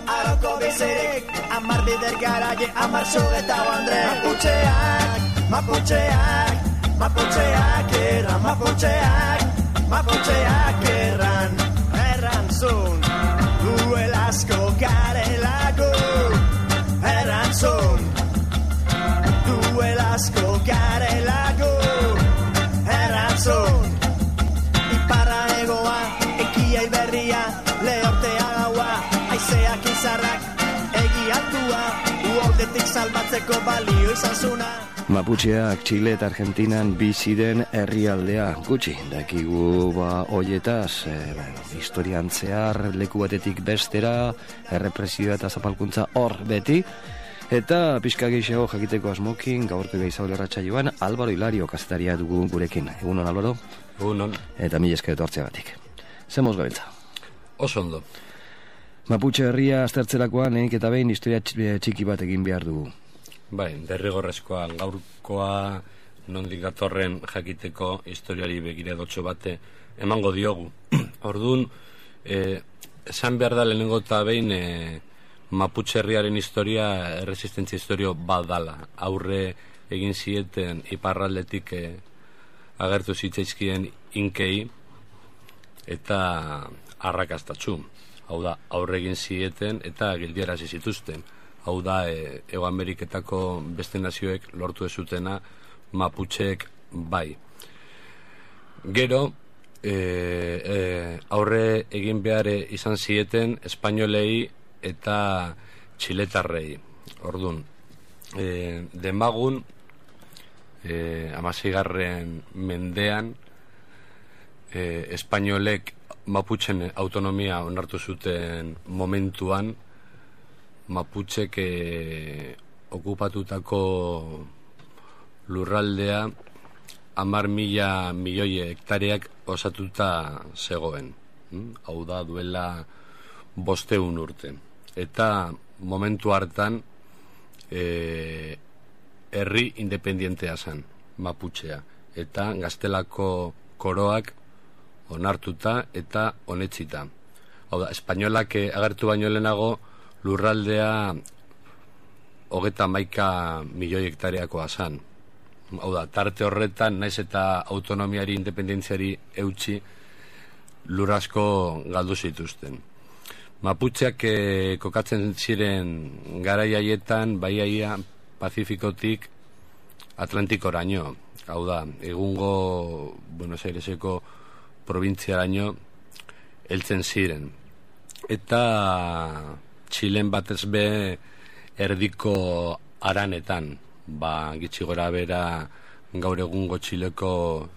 Aroko bizirik, amar bider garaje, amar sugeta bandre. Maputxeak erran, maputxeak erran zun. Duel asko garelako, erran zun. Duel asko garelako, erran zun. Iparra egoa, ekia iberria, lehortea gaua. Aizeak izarrak egiatua, uoldetik salbatzeko balio izan zuna. Maputxeak Txile eta Argentinan bizi den herrialdea gutxi dakigu hoietaz, historian zehar leku batetik bestera, errepresioa eta zapalkuntza hor beti, eta pixka gehiago jakiteko asmokin gaurko gaizaul erratsaioan Álvaro Hilario kazetaria dugu gurekin. Egunon, Álvaro? Egunon. Eta mila esker etortzeagatik. Zemoz gabiltza? Oso ondo. Maputxe herria aztertzerakoan lehenik eta behin historia txiki bat egin behar dugu. Bai, derrigorrezkoa gaurkoa nondik datorren jakiteko historiari begiradotxo bate emango diogu. Orduan, esan behar da lehenengo eta behin Maputxe herriaren historia erresistentzia historio bat dala. Aurre egin zieten iparraldetik agertu zitzaizkien inkei eta arrakastatxu. Hau da, aurre egin zieten eta gildiarazi zituzten. Hau da, Hego Ameriketako beste nazioek lortu ezutena Maputxeek bai. Gero, aurre egin behar izan zieten espainolei eta txiletarrei. Orduan, demagun, 16. mendean, espainolek Maputxen autonomia onartu zuten momentuan, Maputxek okupatutako lurraldea 10.000 milioi hektareak osatuta zegoen. Hau da, duela 500 urte. Eta momentu hartan herri independientea zen, Maputxea. Eta gaztelako koroak onartuta eta onetsita. Hau da, espainolak agertu baino lehenago lurraldea 31 milioi hektareakoa zen. Hau da, tarte horretan, naiz eta autonomiari, independentziari eutxi, lur asko galdu zituzten. Maputxeak kokatzen ziren garai haietan, baiaia Pazifikotik Atlantikoraino. Hau da, egungo Buenos Aireseko probintziaraino heltzen ziren. Eta Txilen batez be erdiko aranetan, gitxi gora bera gaur egungo Txileko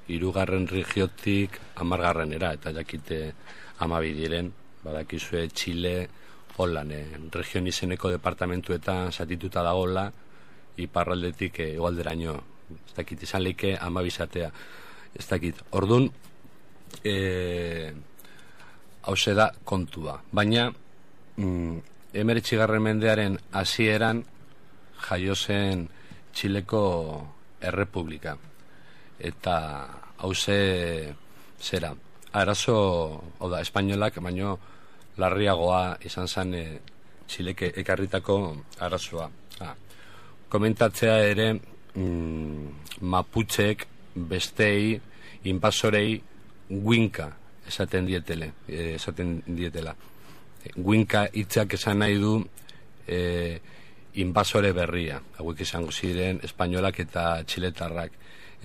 3. regiotik 10.era, eta jakite 12 diren, badakizue Txile holan, region izeneko departamentuetan zatituta dagoela, iparraldetik egoalderaino, ez dakit izan leike 12 izatea, ez dakit. Orduan, hause da kontua, baina 19. mendearen hasieran jaio zen Txileko Errepublika, eta hause zera arazo, hau da, espainolak baino larriagoa izan zen Txileke ekarritako arazoa. Komentatzea ere Maputxeek bestei inbasorei guinka esaten dietela. Guinka hitzak esan nahi du inbasore berria, hauek izango ziren espainolak eta txiletarrak,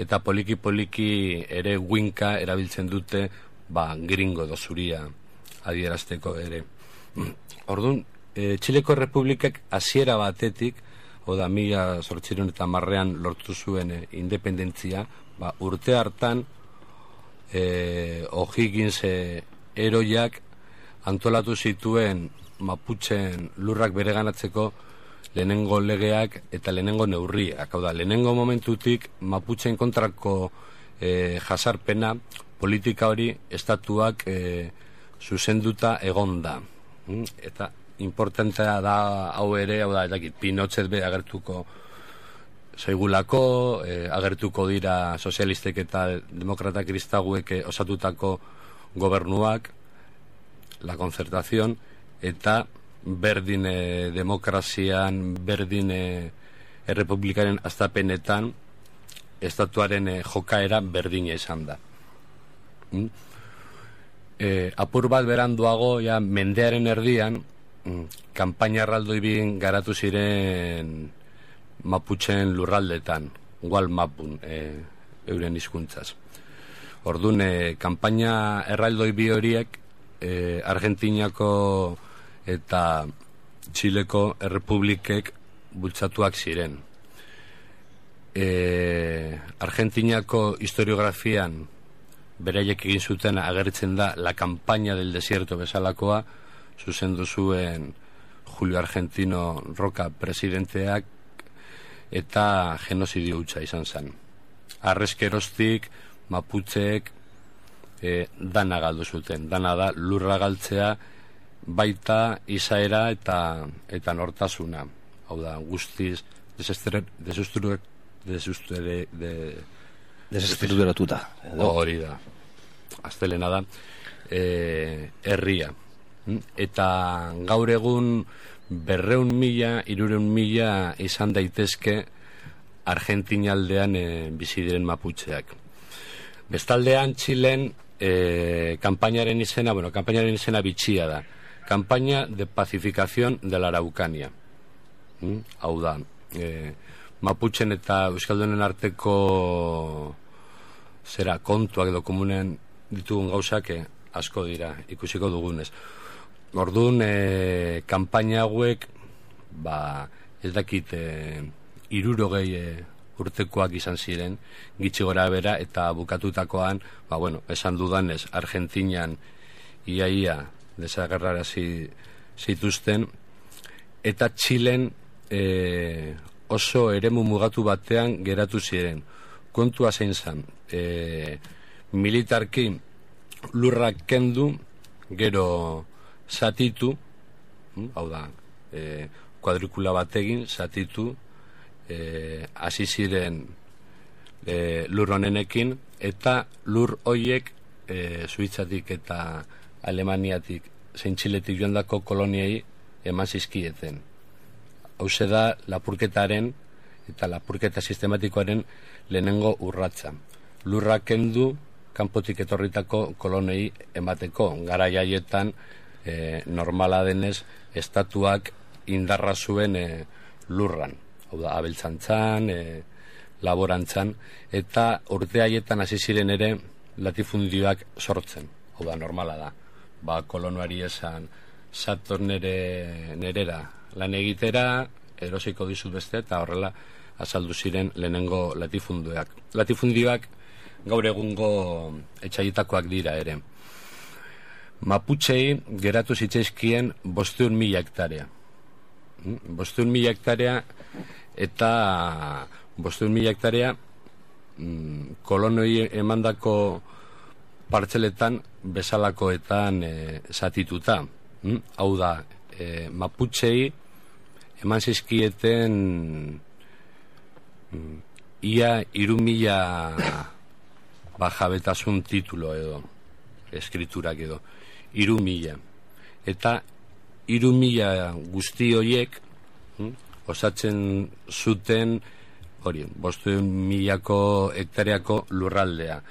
eta poliki ere guinka erabiltzen dute gringo edo zuria adierazteko ere. Orduan, Txileko Errepublikak hasiera batetik, oda 1810 lortu zuen independentzia, urte hartan O'Higgins eroiak antolatu zituen Maputxen lurrak bereganatzeko lehenengo legeak eta lehenengo neurriak. Hau da, lehenengo momentutik Maputxen kontrako jasarpena, politika hori estatuak zuzenduta egonda. Eta importantea da hau ere, hau da, Pinochet be agertuko zaigulako, agertuko dira sozialistek eta demokrata kristaguek osatutako gobernuak, la concertación, eta berdin demokrazian, berdin errepublikaren astapenetan, estatuaren jokaera berdina izan da. Apur bat beranduago, ja, mendearen erdian, kanpaina erraldoi bin garatu ziren Mapuchen lurraldetan, Gualmapun, euren hizkuntzaz. Orduan, kanpaina erraldoi bi horiek Argentinako eta Txileko errepublikek bultzatuak ziren. Argentinako historiografian beraiek egin zuten agertzen da la campaña del desierto bezalakoa, zuzendu zuen Julio Argentino Roca presidenteak, eta genozidio hutsa izan zen. Arrezkeroztik Maputzeek dana galdu zuten. Dana da lurra galtzea, baita izaera eta nortasuna. Hau da, guztiz desestruturatuta. Hori da. Astelena da. Herria. Eta gaur egun 200.000, 300.000 izan daitezke Argentina aldean bizi diren maputxeak. Bestaldean Txilen kanpainaren izena bitxia da. Campaña de pacificación de la Araucanía. Hau da, Maputxen eta Euskaldunen arteko kontuak edo komunen ditugun gauzak asko dira, ikusiko dugunez. Orduan, kanpaina hauek, ez dakit, 60 urtekoak izan ziren, gitxi gora bera, eta bukatutakoan, esan dudanez, Argentinian iaia desagerrarazi zituzten, eta Txilen oso eremu mugatu batean geratu ziren. Kontua zein zen, militarki lurrak kendu, gero zatitu, hau da, kuadrikula bategin, zatitu, hasi ziren lur honenekin, eta lur hoiek Suitzatik eta Alemaniatik zein Txiletik joandako koloniei eman zizkieten. Hauze da lapurketaren eta lapurketa sistematikoaren lehenengo urratza. Lurrak kendu kanpotik etorritako kolonei emateko. Garai haietan normala denez estatuak indarra zuen lurran. Hau da, abeltzantzan, laborantzan, eta urte haietan hasi ziren ere latifundioak sortzen. Hau da, normala da. Kolonoari esan sator nerera lan egitera, erosiko dizut beste, eta horrela azaldu ziren lehenengo latifundioak. Latifundioak gaur egungo etxaietakoak dira ere. Maputxei geratu zitzaizkien 500.000 hektarea. 500.000 hektarea eta 500.000 hektarea kolonoi emandako partzeletan bezalakoetan zatituta. Hau da, Maputxei eman zizkieten ia 3.000 jabetasun titulo edo, eskriturak edo, 3.000. Eta 3.000 guzti horiek osatzen zuten 500.000 hektareako lurraldea.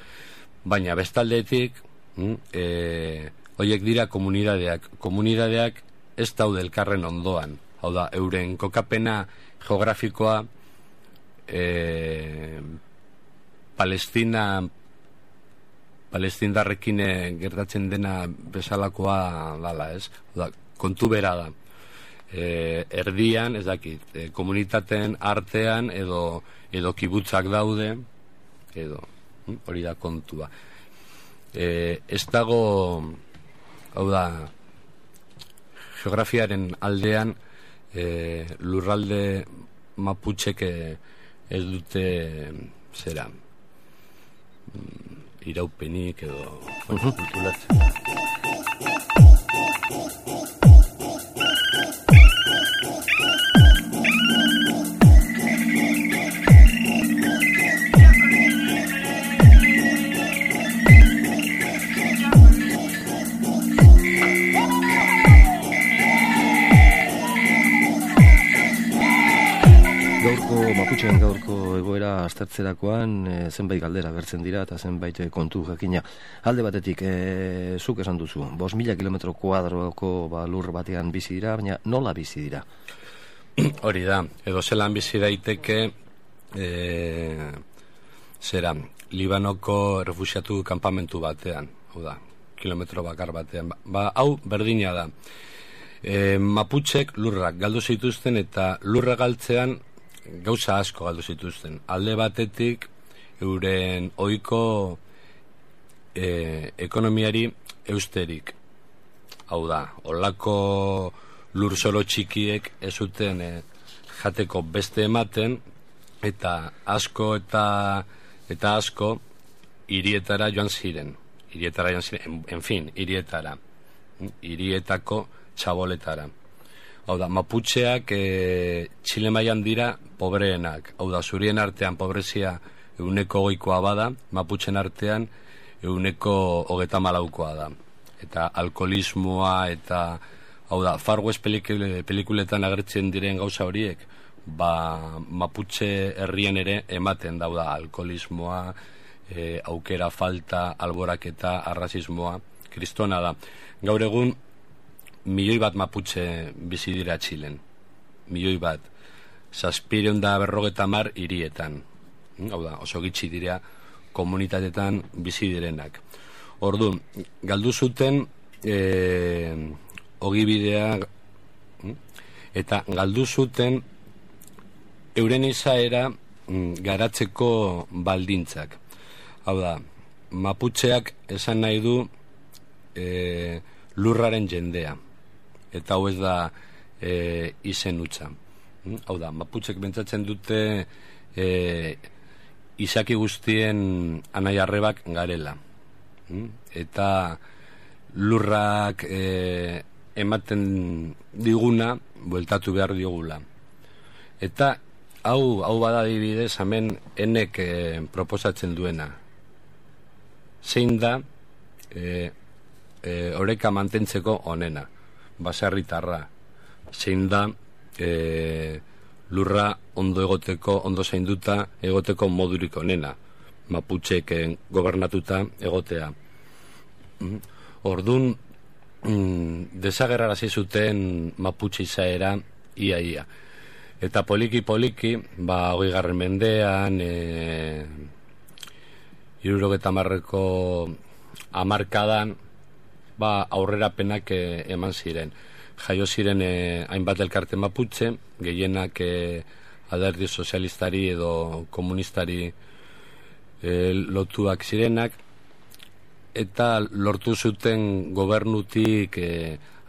Baina bestaldetik horiek dira komunidadeak. Komunidadeak ez daude elkarren ondoan. Hau da, euren kokapena geografikoa Palestindarrekin gertatzen dena bezalakoa dala, ez? Hau da, kontu bera da. Erdian, ez dakit, komunitateen artean edo kibutzak daude, edo hori da kontua. Ez dago, hau da, geografiaren aldean lurralde Maputxek ez dute iraupenik edo kulturatzen. Gutxien gaurko egoera aztertzerakoan zenbait galdera gertzen dira eta zenbait kontu jakina. Alde batetik, zuk esan duzu, 5.000 kilometro kuadroko lur batean bizi dira, baina nola bizi dira? Hori da, edo zelan bizi daiteke Libanoko refuxiatu kanpamentu batean, hau da, kilometro bakar batean. Hau berdina da. Maputxek lurrak galdu zituzten eta lurra galtzean gauza asko galdu zituzten. Alde batetik euren ohiko ekonomiari eusterik. Hau da, olako lur solo txikiek ez zuten jateko beste ematen eta asko eta asko hirietara joan ziren. Hirietako txaboletara. Hau da, maputxeak Txile mailan dira pobreenak. Hau da, zurien artean pobrezia 20%koa bada, maputxen artean 30%koa da. Eta alkoholismoa eta, hau da, Far West pelikuletan agertzen diren gauza horiek, maputxe herrian ere ematen da, alkoholismoa, aukera falta, alboraketa, arrazismoa, kristona da. Gaur egun, 1.000.000 maputxe bizi dira Txilen. 1.000.000. 750 hirietan. Hau da, oso gitxi dira komunitatetan bizi direnak. Ordu, galdu zuten ogibidea eta galdu zuten euren izaera garatzeko baldintzak. Hau da, maputxeak esan nahi du lurraren jendea. Eta hau ez da izen hutsa. Hau da, maputxek bentsatzen dute izaki guztien anai-arrebak garela. Eta lurrak ematen diguna bueltatu behar diogula. Eta hau bada adibidez hemen enek proposatzen duena. Zein da oreka mantentzeko onena, baserritarra. Zein da lurra ondo egoteko, ondo zainduta egoteko modurik onena, maputxek gobernatuta egotea. Ordun desagerrarazi zuten maputxe izaera ia. Eta poliki, 20. mendean 70ko hamarkadan aurrerapenak eman ziren. Jaio ziren hainbat elkarte maputxe, gehienak alderdi sozialistari edo komunistari lotuak zirenak, eta lortu zuten gobernutik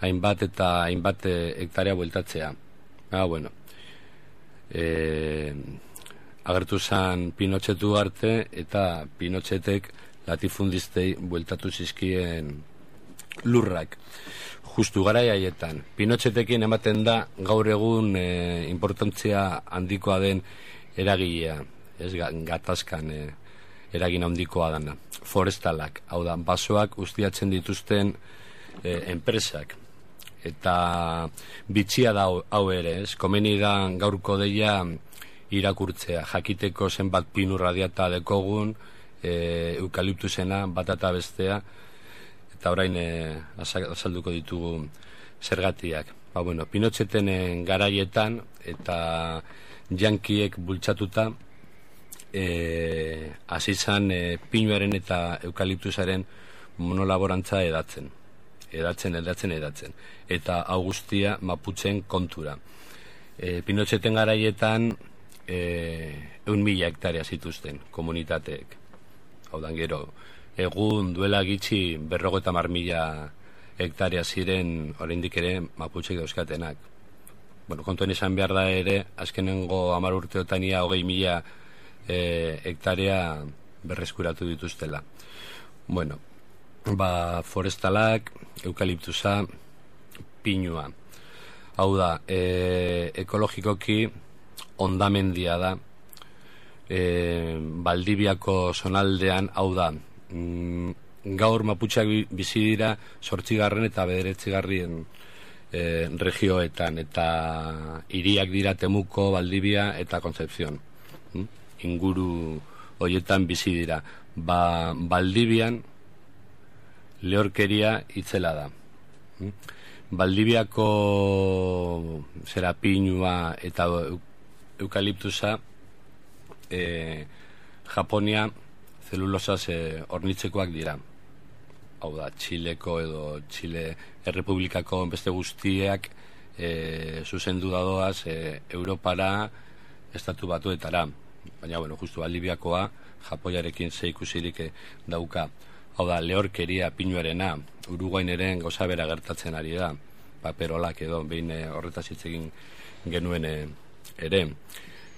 hainbat hektarea bueltatzea. Agertu zen Pinochetu arte eta Pinochetek latifundistei bueltatu zizkien lurrak. Justu garai haietan. Pinochetekin ematen da gaur egun importantzia handikoa den eragilea, ez gatazkan eragin handikoa dana. Forestalak, hau da, basoak ustiatzen dituzten enpresak. Eta bitxia da hau ere, ez? Komeni da gaurko deia irakurtzea, jakiteko zenbat pinu radiata dekogun, eukaliptusena, bat eta bestea, eta orain azalduko ditugu zergatiak. Pinocheten garaietan eta jankiek bultzatuta hasi zan pinuaren eta eukaliptusaren monolaborantza edatzen. Eta hau guztia maputxen kontura. Pinocheten garaietan 1.000 hektarea zituzten komunitateek. Hau da, gero, egun duela gitxi 50.000 hektarea ziren oraindik ere maputxek dauzkatenak. Kontuen izan behar da ere, azkenengo 10 urteotan ia 20.000 hektarea berreskuratu dituztela. Forestalak, eukaliptusa, pinua. Hau da, ekologikoki ondamendia da, Baldibiako zonaldean, hau da, gaur maputxeak bizi dira 8. eta 9. Regioetan, eta hiriak dira Temuko, Valdivia eta Concepción. inguru hoietan bizi dira. Baldibian lehorkeria itzela da. Baldibiako pinua eta eukaliptusa Japonia zelulosaz hornitzekoak dira. Hau da, Txileko edo Txile Errepublikako beste guztiak zuzendu dadoaz Europara, Estatu Batuetara. Baina, justu Baldibiakoa Japoiarekin zeikusirik dauka. Hau da, lehorkeria pinuarena, Uruguaineren gauza bera gertatzen ari da, paperolak edo, behin horretaz hitz egin genuen ere.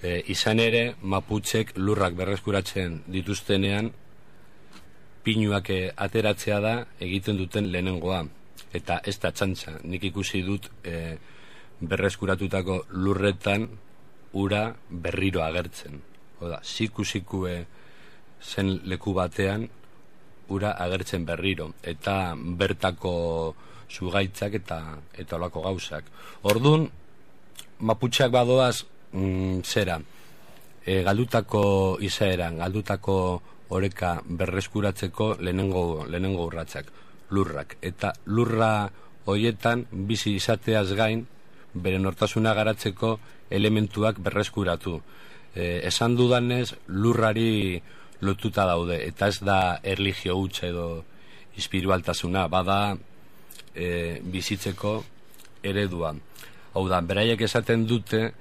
Izan ere, Maputxek lurrak berreskuratzen dituztenean, pinuak ateratzea da egiten duten lehenengoa. Eta ez da txantxa, nik ikusi dut berreskuratutako lurretan ura berriro agertzen. Oda, siku zen leku batean ura agertzen berriro, eta bertako zugaitzak eta olako gauzak. Ordun, Maputxak badoaz galdutako izaeran, galdutako oreka berreskuratzeko lehenengo urratsak, lurrak. Eta lurra hoietan bizi izateaz gain, bere nortasuna garatzeko elementuak berreskuratu. Esan dudanez, lurrari lotuta daude, eta ez da erlijio hutsa edo espiritualtasuna, bada bizitzeko eredua. Hau da, beraiek esaten dute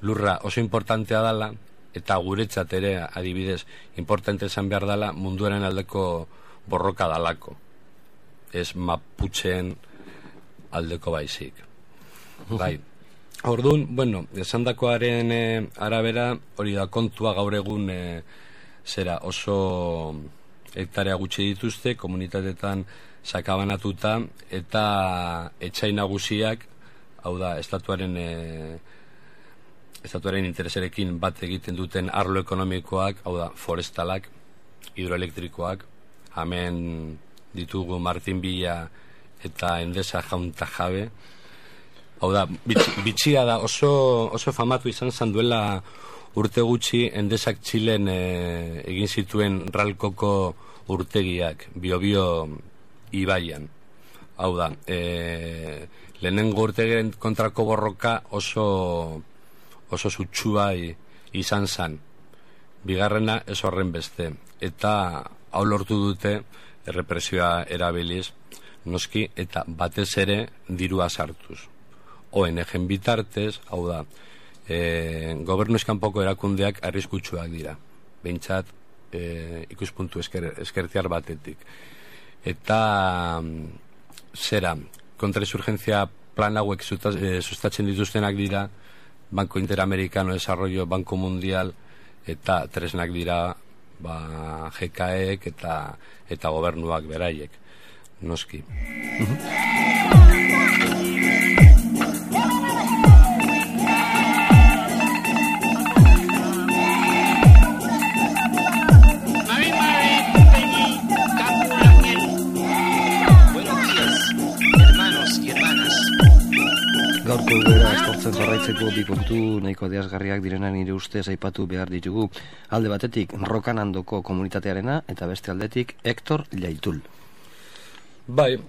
lurra oso importantea dela, eta guretzat ere, adibidez, importante esan behar dela munduaren aldeko borroka dalako. Ez Maputxeen aldeko baizik. Bai. Orduan, esandakoaren arabera, hori da kontua gaur egun oso hektarea gutxi dituzte, komunitateetan sakabanatuta, eta etxai nagusiak, hau da, estatuaren interesarekin bat egiten duten arlo ekonomikoak, hau da, forestalak, hidroelektrikoak, hemen ditugu Martin Villa eta Endesa Jaunta Jabe. Hau da, bitxia da, oso famatu izan duela urte gutxi Endesak Txilen egin zituen ralkoko urtegiak, Biobio ibaian. Hau da, lehenengo urtegiren kontrako borroka oso sutsua izan zan. Bigarrena ez horren beste. Eta hau lortu dute errepresioa erabiliz, noski, eta batez ere dirua sartuz. ONG-en bitartez, hau da, gobernu eskanpoko erakundeak arriskutsuak dira. Behintzat, ikuspuntu eskertiar batetik. Eta, kontrainsurgentzia plan hauek sustatzen dituztenak dira, Banco Interamericano de Desarrollo, Banco Mundial, eta tresnak dira, GKEek eta gobernuak beraiek, noski. Gaurko bera estortzen jarraitzeko bi kontu nahiko adierazgarriak direnan nire ustez aipatu behar ditugu. Alde batetik Rokanandoko komunitatearena eta beste aldetik Hector Llaitul. Bai,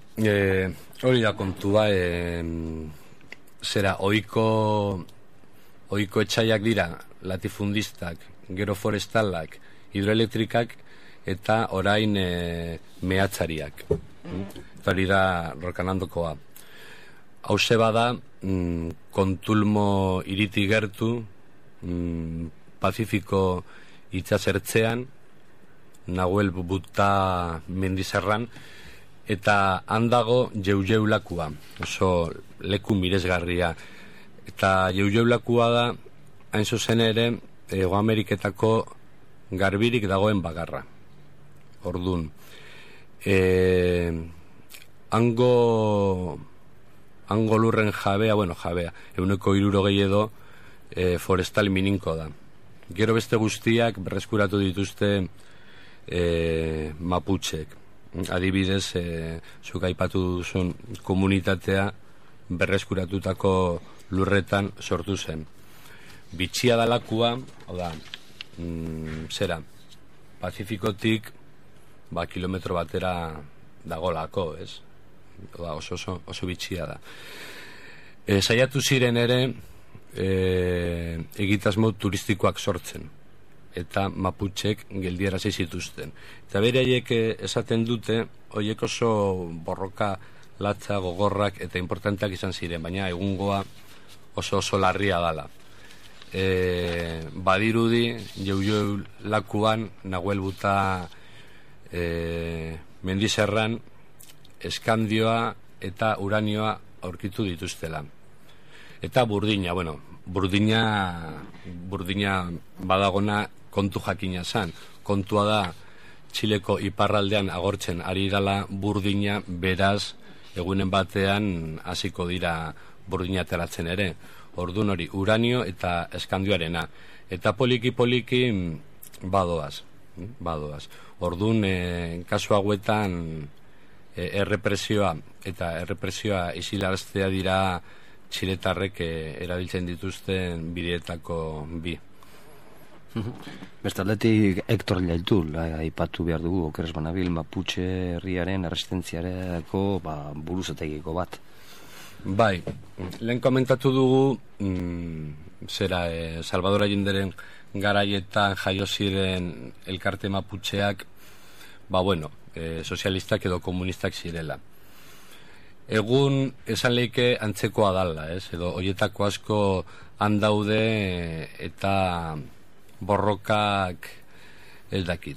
hori da kontua, ohiko etxaiak dira, latifundistak, gero forestalak, hidroelektrikak eta orain mehatzariak. Hori da Rokanandokoa. Hauze bada, Kontulmo iriti gertu, Pazifiko itxasertzean, Nahuel Buta mendizerran, eta handago Jeujeulakua, oso leku miresgarria. Eta Jeujeulakua da, hain zuzen ere, Hego Ameriketako garbirik dagoen bagarra. Ordun, hango lurren jabea, 160 edo forestal mininko da. Gero beste guztiak berreskuratu dituzte Maputxek. Adibidez, zuk aipatu duzun komunitatea berreskuratutako lurretan sortu zen. bitxia dalakua, hau da, zera, Pazifikotik, kilometro batera dagolako, ez? Oso bitxia da. Saiatu ziren ere egitasmo turistikoak sortzen eta Maputxek geldiarazi zituzten. Eta beraiek esaten dute horiek oso borroka latza, gogorrak eta importanteak izan ziren, baina egungoa oso larria dala. Badirudi Jau lakuan Nahuel Buta mendizerran eskandioa eta uranioa aurkitu dituztela. Eta burdina badagona kontu jakina zan. Kontua da Txileko iparraldean agortzen ari dala burdina, beraz egunen batean hasiko dira burdina ateratzen ere. Ordun hori uranio eta eskandioarena. Eta poliki badoaz. Ordun kasu hauetan errepresioa isilaraztea dira txiletarrek erabiltzen dituzten bideetako bi. Bestaldetik Hector Llaitul aipatu behar dugu, okeres banabil Maputxe herriaren erresistentziareko buruzategiko bat. Bai, lehen komentatu dugu Salvador Allenderen garaietan jaio ziren elkarte Maputxeak sozialistak edo komunistak zirela. Egun esan leike antzekoa dala, edo hoietako asko handaude eta borrokak ez dakit.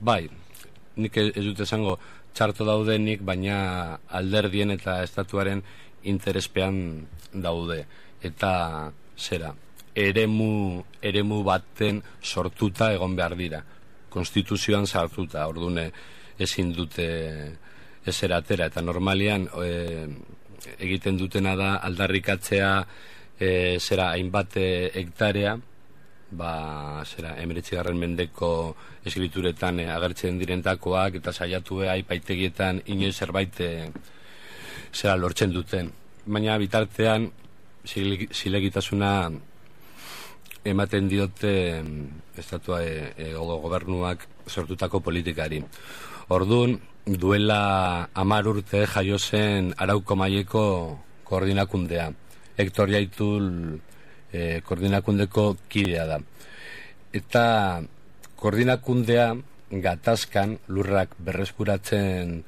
Bai, nik ez dut esango txarto daudenik, baina alderdien eta estatuaren interespean daude. Eta eremu baten sortuta egon behar dira. Konstituzioan sartuta, ordune ezin dute ezera atera, eta normalian egiten dutena da aldarrikatzea hainbat hektarea, 19. mendeko eskrituretan agertzen direntakoak, eta saiatu aipaitegietan inoiz zerbait lortzen duten. Baina bitartean zilegitasuna ematen diote estatua gobernuak sortutako politikari. Orduan, duela 10 urte jaio zen Arauko maileko koordinakundea. Hector Llaitul koordinakundeko kidea da. Eta koordinakundea gatazkan lurrak berreskuratzen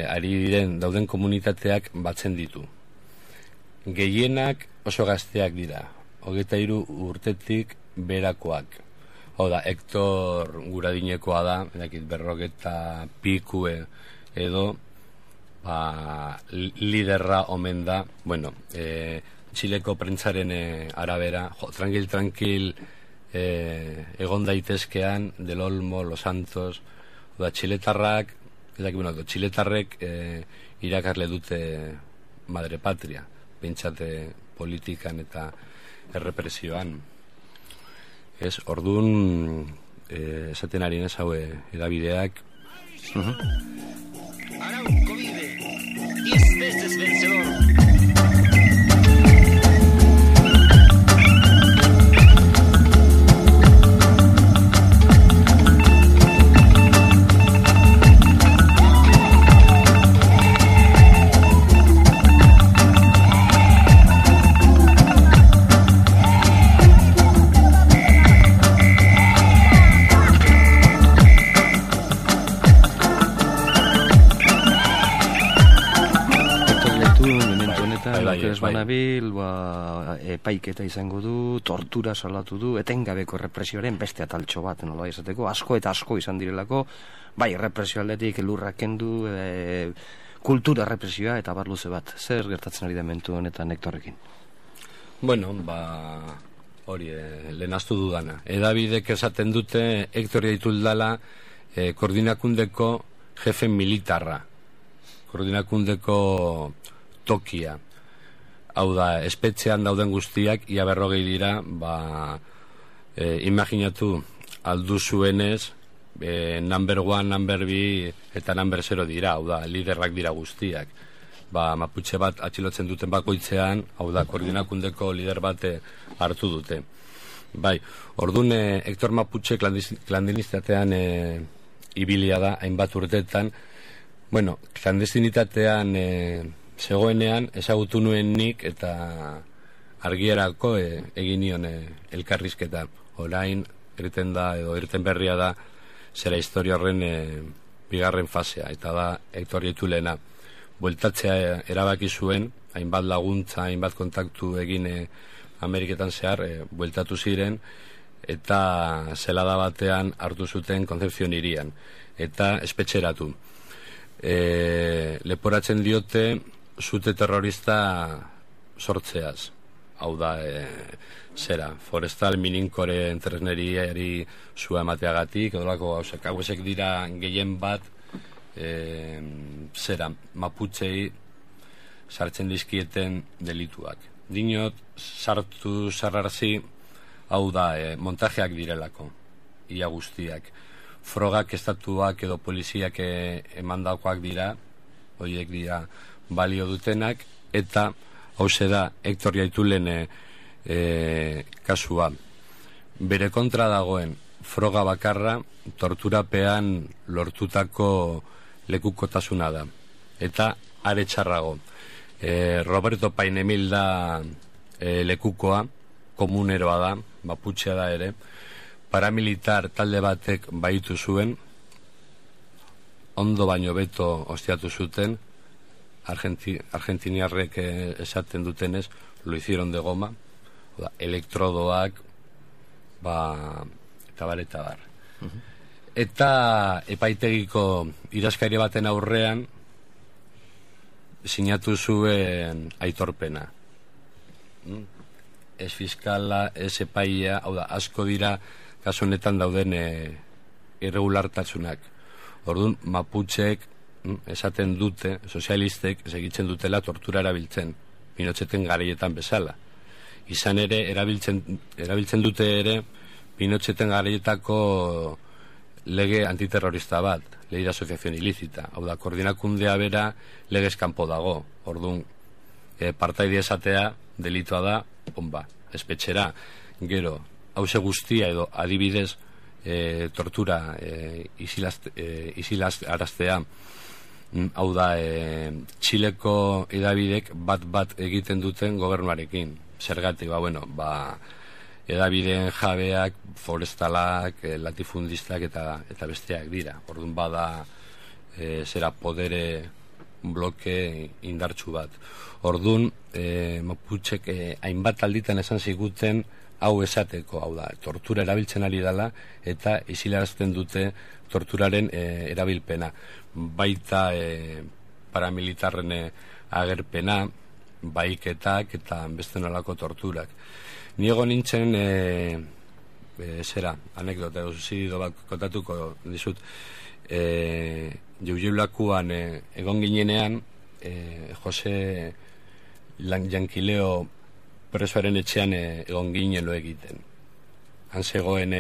ari diren dauden komunitateak batzen ditu. Gehienak oso gazteak dira, 23 urtetik berakoak. Hau da, Hector Guradinekoa da, berrogeta pikue edo liderra omen da. Txileko prentzaren arabera, tranquil egon daitezkean, Del Olmo, Los Santos, txiletarrek irakarle dute Madre Patria, pentsate politikan eta errepresioan. Orduan esaten ari nez hau edabideak. Arauco vive 10 veces vencedor. Banabil, epaiketa izango du, tortura salatu du, etengabeko represioaren beste ataltxo bat, nola izateko, asko eta asko izan direlako, bai, represio aldetik lurrak kendu, kultura represioa eta bar luze bat. Zer gertatzen ari da mentu honetan Hectorrekin? Hori, lehenaztu dudana. Edabidek esaten dute Hector Llaitul dala koordinakundeko jefe militarra, koordinakundeko tokia. Hau da, espetxean dauden guztiak, ia 40 dira, imaginatu aldu zuenez, number 1, number 2 eta number 0 dira, hau da, liderrak dira guztiak. Maputxe bat atxilotzen duten bakoitzean, hau da, koordinakundeko lider bate hartu dute. Bai, orduan Hector Maputxe klandestinistatean ibilia da, hainbat urteetan. Bueno, klandestinitatean zegoenean ezagutu nuen nik eta argierako egin nion elkarrizketa. Orain irten da, edo irten berria da, zera historia horren bigarren fasea, eta da Hector Jaitulena. Bueltatzea erabaki zuen, hainbat laguntza, hainbat kontaktu egin Ameriketan zehar, bueltatu ziren, eta zelada batean hartu zuten Concepción hirian, eta espetxeratu. Leporatzen diote zute terrorista sortzeaz. Hau da, zera, forestal mininkore entresneriari zua emateagatik, odolako hauek dira gehien bat, zera, Maputxei sartzen dizkieten delituak. Dinot, sartu sarrarzi, hau da, montajeak direlako, ia guztiak. Frogak, estatuak edo poliziak emandakoak dira, horiek dira balio dutenak, eta hauze da Hector Jaitulen kasua. Bere kontra dagoen froga bakarra torturapean lortutako lekukotasuna da. Eta are txarrago. Roberto Painemil da lekukoa, komuneroa da, Maputxea da ere, paramilitar talde batek baitu zuen, ondo baino beto ostiatu zuten, argentiniarrek esaten dutenez, lo hicieron de goma, elektrodoak, eta bar. Eta epaitegiko iraskari baten aurrean sinatu zuen aitorpena. Ez fiskala, ez epaia, hau da, asko dira kasu honetan dauden irregulartasunak. Orduan, Maputxek esaten dute, sozialistek segitzen dutela tortura erabiltzen, Pinocheten garaietan bezala. Izan ere, erabiltzen dute ere Pinocheten garaietako lege antiterrorista bat, lege de asociación ilícita. Hau da, koordinakundea bera legez kanpo dago. Orduan, partaide esatea delitua da, espetxera. Gero, hauze guztia edo adibidez tortura isilaz araztea. Hau da, Txileko edabidek bat egiten duten gobernuarekin. Zergatik, edabideen jabeak, forestalak, latifundistak eta besteak dira. Orduan bada zera podere bloke indartsu bat. Orduan, Maputxek hainbat alditan esan ziguten hau esateko, hau da, tortura erabiltzen ari dela eta isilarazten dute torturaren erabilpena. Baita paramilitarren agerpena, baiketak eta beste nolako torturak. Niego nintzen, anekdota, zido bat kontatuko dizut, Jaujeulakuan egon ginenean, Jose Jankileo presoaren etxean egon ginen lo egiten. Han zegoen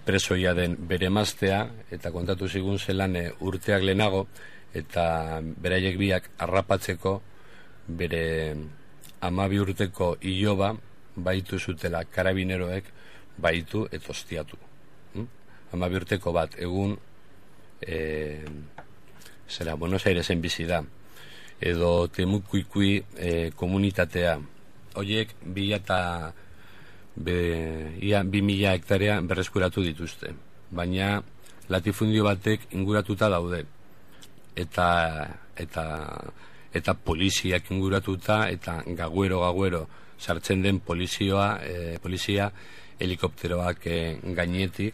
presoia den bere emaztea, eta kontatu zigun zelan urteak lehenago, eta beraiek biak harrapatzeko bere 12 urteko iloba baitu zutela karabineroek baitu eta ostiatu. 12 urteko bat egun Buenos Airesen bizi da, edo Temucuicui komunitatea. Horiek 2000 hektarea berreskuratu dituzte, baina latifundio batek inguratuta daude, eta poliziak inguratuta, eta gaguero sartzen den polizia helikopteroak gainetik,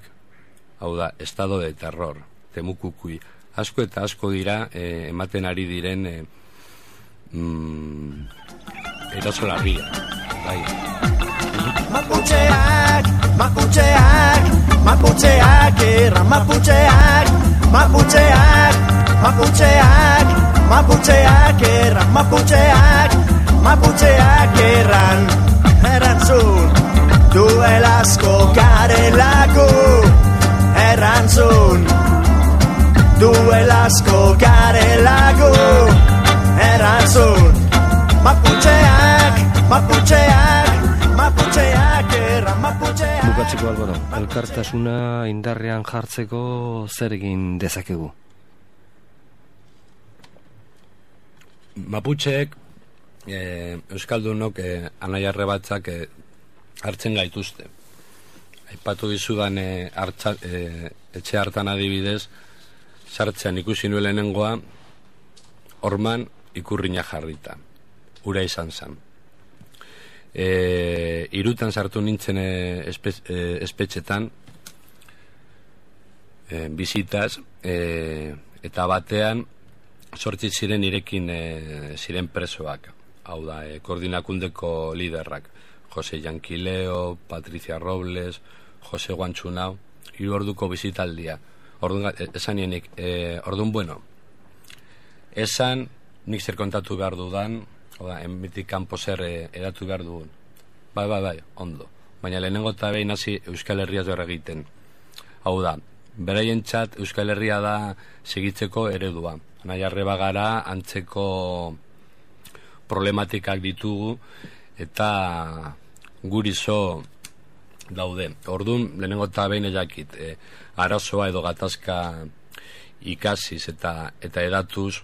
hau da, estado de terror, Temucuicui. Asko eta asko dira ematen ari diren erasolarria. Bai. Maputxeak, erran Maputxeak, erran Maputxeak, erantzun, duelazko garelako, erantzun, duelazko garelako. bukatzeko Albaro, elkartasuna indarrean jartzeko zer egin dezakegu? Maputxeek, Euskaldunok, anaiarre batzak hartzen gaituzte. Aipatu dizudan etxe hartan adibidez, sartzean ikusi nuen lehenengoa, horman ikurrina jarrita. Ura izan zen. Irutan sartu nintzen espetxetan, bizitas, eta batean, sortzi ziren irekin ziren presoak. Hau da, koordinakundeko liderrak. Jose Jankileo, Patricia Robles, Jose Guantxunau, 3 orduko bizitaldia. Esan nienik, orduan bueno, esan nik zer kontatu behar dudan, oda, enbitik kanpo zer edatu behar dugun. Bai, ondo. Baina lehenengo eta behin hasi Euskal Herriaz behar egiten. Hau da, beraientzat Euskal Herria da segitzeko eredua. Anaiarre bagara, antzeko problematikak ditugu, eta gurizo daude. Orduan, lehenengo eta behin ejakit, arazoa edo gatazka ikasiz eta edatuz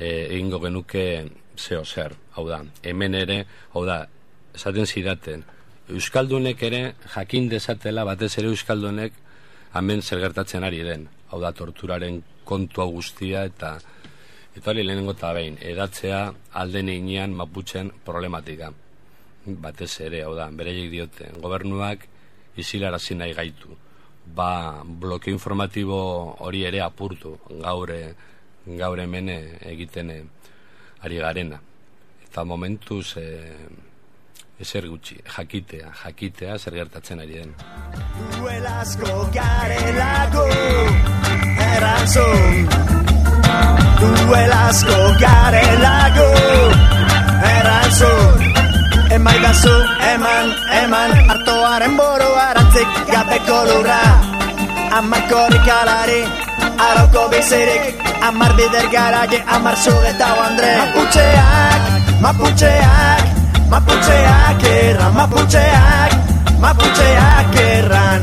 egingo genuke zeo zer. Hau da, hemen ere, hau da, esaten zidaten, Euskaldunek ere jakin dezatela, batez ere Euskaldunek hemen zer gertatzen ari den. Hau da, torturaren kontua guztia eta hori lehenengo eta behin, edatzea alden inean Maputxen problematika. Batez ere, hau da, bereiek diote, gobernuak izilarazi nahi gaitu. Blokeo informatibo hori ere apurtu, gaur hemen egiten ari garena. Eta momentuz ezer gutxi, jakitea zer gertatzen ari den. Duelazko garelako erantzun, duelazko garelako erantzun, emaidazu eman artoaren boro arantzik gabeko lurra, amarkorik alari arauko bizirik, amar bider garaje, amar sugeta Andre. Maputxeak erran, Maputxeak erran.